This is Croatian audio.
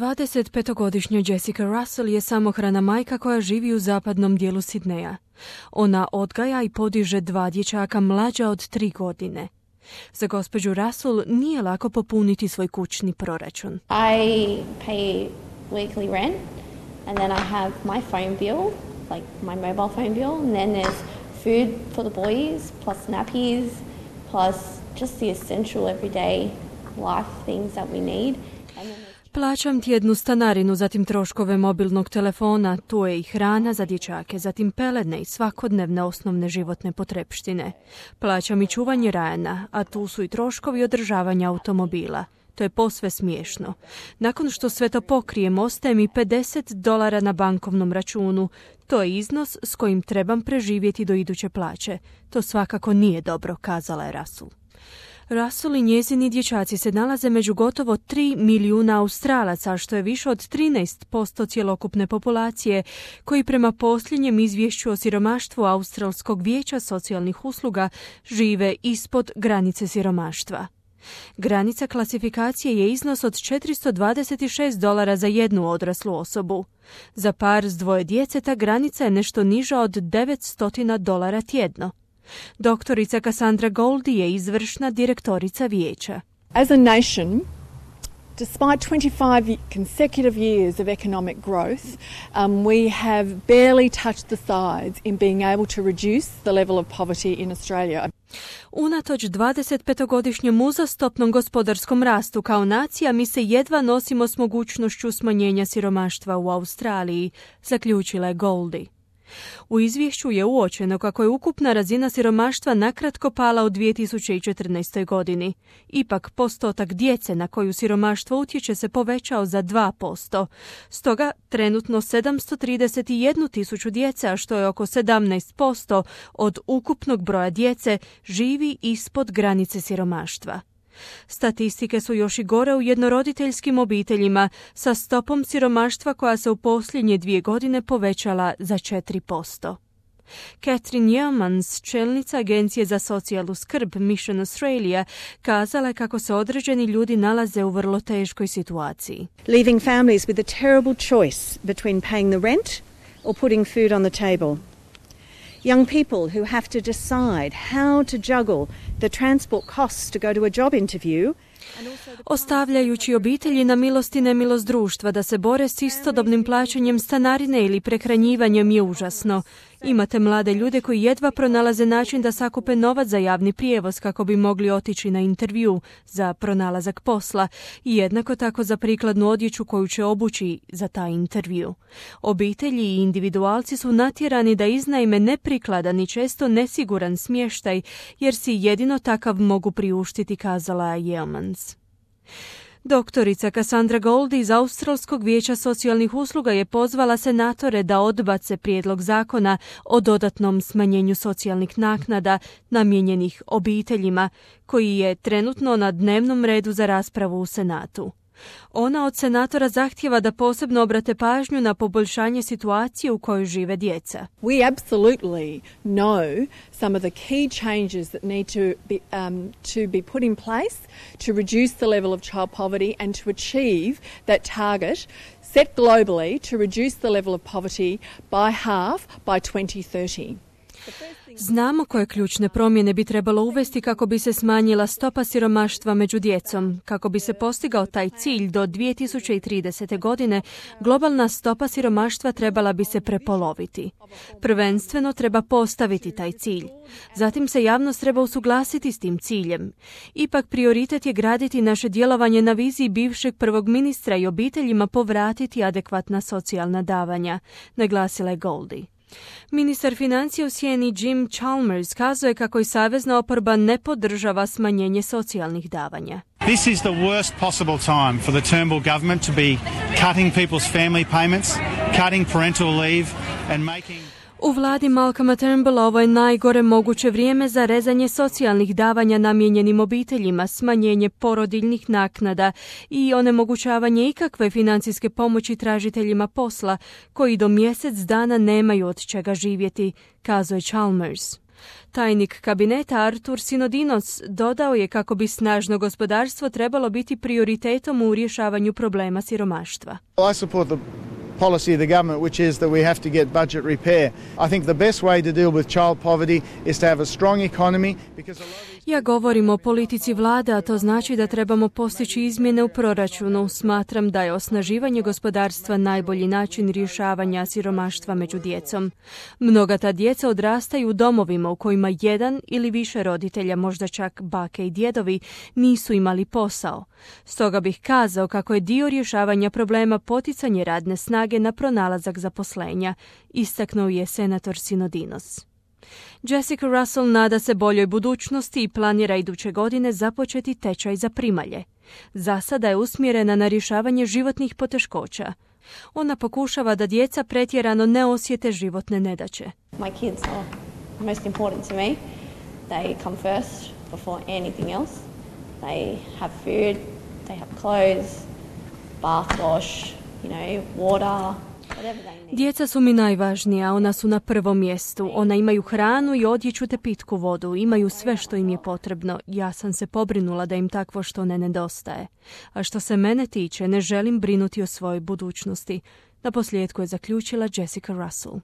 25-godišnja Jessica Russell je samohrana majka koja živi u zapadnom dijelu Sidneja. Ona odgaja i podiže 2 dječaka mlađa od 3 godine. Za gospođu Russell nije lako popuniti svoj kućni proračun. I pay weekly rent and then I have my phone bill, like my mobile phone bill, and then there's food for the boys, plus nappies, plus just the essential everyday life things that we need. Plaćam tjednu stanarinu, zatim troškove mobilnog telefona, tu je i hrana za dječake, zatim peledne i svakodnevne osnovne životne potrepštine. Plaćam i čuvanje Ryana, a tu su i troškovi održavanja automobila. To je posve smiješno. Nakon što sve to pokrijem, ostaje mi $50 na bankovnom računu. To je iznos s kojim trebam preživjeti do iduće plaće. To svakako nije dobro, kazala je Russell. Russell i njezini dječaci se nalaze među gotovo 3 milijuna Australaca, što je više od 13% cjelokupne populacije, koji prema posljednjem izvješću o siromaštvu Australskog vijeća socijalnih usluga žive ispod granice siromaštva. Granica klasifikacije je iznos od $426 za jednu odraslu osobu. Za par s 2 djece ta granica je nešto niža od $900 tjedno. Doktorica Cassandra Goldie je izvršna direktorica vijeća. As a nation, despite 25 consecutive years of economic growth, we have barely touched the sides in being able to reduce the level of poverty in Australia. Unatoč 25-godišnjem uzastopnom gospodarskom rastu kao nacija, mi se jedva nosimo s mogućnošću smanjenja siromaštva u Australiji, zaključila je Goldie. U izvješću je uočeno kako je ukupna razina siromaštva nakratko pala u 2014. godini. Ipak postotak djece na koju siromaštvo utječe se povećao za 2%. Stoga trenutno 731.000 djece, a što je oko 17% od ukupnog broja djece, živi ispod granice siromaštva. Statistike su još i gore u jednoroditeljskim obiteljima sa stopom siromaštva koja se u posljednje 2 godine povećala za 4%. Catherine Yeomans, čelnica Agencije za socijalnu skrb Mission Australia, kazala je kako se određeni ljudi nalaze u vrlo teškoj situaciji. Leaving families with a terrible choice between paying the rent or putting food on the table. Young people who have to decide how to juggle the transport costs to go to a job interview. Ostavljajući obitelji na milost i nemilost društva da se bore s istodobnim plaćanjem stanarine ili prehranjivanjem je užasno. Imate mlade ljude koji jedva pronalaze način da sakupe novac za javni prijevoz kako bi mogli otići na intervju za pronalazak posla i jednako tako za prikladnu odjeću koju će obući za taj intervju. Obitelji i individualci su natjerani da iznajme neprikladan i često nesiguran smještaj jer si jedino takav mogu priuštiti, kazala je Yeomans. Doktorica Cassandra Goldie iz Australskog vijeća socijalnih usluga je pozvala senatore da odbace prijedlog zakona o dodatnom smanjenju socijalnih naknada namijenjenih obiteljima, koji je trenutno na dnevnom redu za raspravu u Senatu. Ona od senatora zahtijeva da posebno obrate pažnju na poboljšanje situacije u kojoj žive djeca. We absolutely know some of the key changes that need to be put in place to reduce the level of child poverty and to achieve that target set globally to reduce the level of poverty by half by 2030. Znamo koje ključne promjene bi trebalo uvesti kako bi se smanjila stopa siromaštva među djecom. Kako bi se postigao taj cilj do 2030. godine, globalna stopa siromaštva trebala bi se prepoloviti. Prvenstveno treba postaviti taj cilj. Zatim se javnost treba usuglasiti s tim ciljem. Ipak prioritet je graditi naše djelovanje na viziji bivšeg prvog ministra i obiteljima povratiti adekvatna socijalna davanja, naglasila je Goldie. Ministar financija u sjeni Jim Chalmers kazuje kako i savezna oporba ne podržava smanjenje socijalnih davanja. This is the worst possible time for the Turnbull government to be cutting people's family payments, cutting parental leave and making... U vladi Malcolma Turnbulla ovo je najgore moguće vrijeme za rezanje socijalnih davanja namijenjenim obiteljima, smanjenje porodiljnih naknada i onemogućavanje ikakve financijske pomoći tražiteljima posla koji do mjesec dana nemaju od čega živjeti, kazuje Chalmers. Tajnik kabineta Artur Sinodinos dodao je kako bi snažno gospodarstvo trebalo biti prioritetom u rješavanju problema siromaštva. I support the policy of the government, which is that we have to get budget repair. I think the best way to deal with child poverty is to have a strong economy because Ja govorim o politici vlade, a to znači da trebamo postići izmjene u proračunu. Smatram da je osnaživanje gospodarstva najbolji način rješavanja siromaštva među djecom. Mnoga ta djeca odrastaju u domovima u kojima jedan ili više roditelja, možda čak bake i djedovi, nisu imali posao. Stoga bih kazao kako je dio rješavanja problema poticanje radne snage na pronalazak zaposlenja, istaknuo je senator Sinodinos. Jessica Russell nada se boljoj budućnosti i planira iduće godine započeti tečaj za primalje. Za sada je usmjerena na rješavanje životnih poteškoća. Ona pokušava da djeca pretjerano ne osjete životne nedaće. My kids are most important to me. They come first before anything else. They have food, they have clothes, bath wash, water. Djeca su mi najvažnija, ona su na prvom mjestu. Ona imaju hranu i odjeću te pitku vodu, imaju sve što im je potrebno. Ja sam se pobrinula da im takvo što ne nedostaje. A što se mene tiče, ne želim brinuti o svojoj budućnosti. Naposljetku je zaključila Jessica Russell.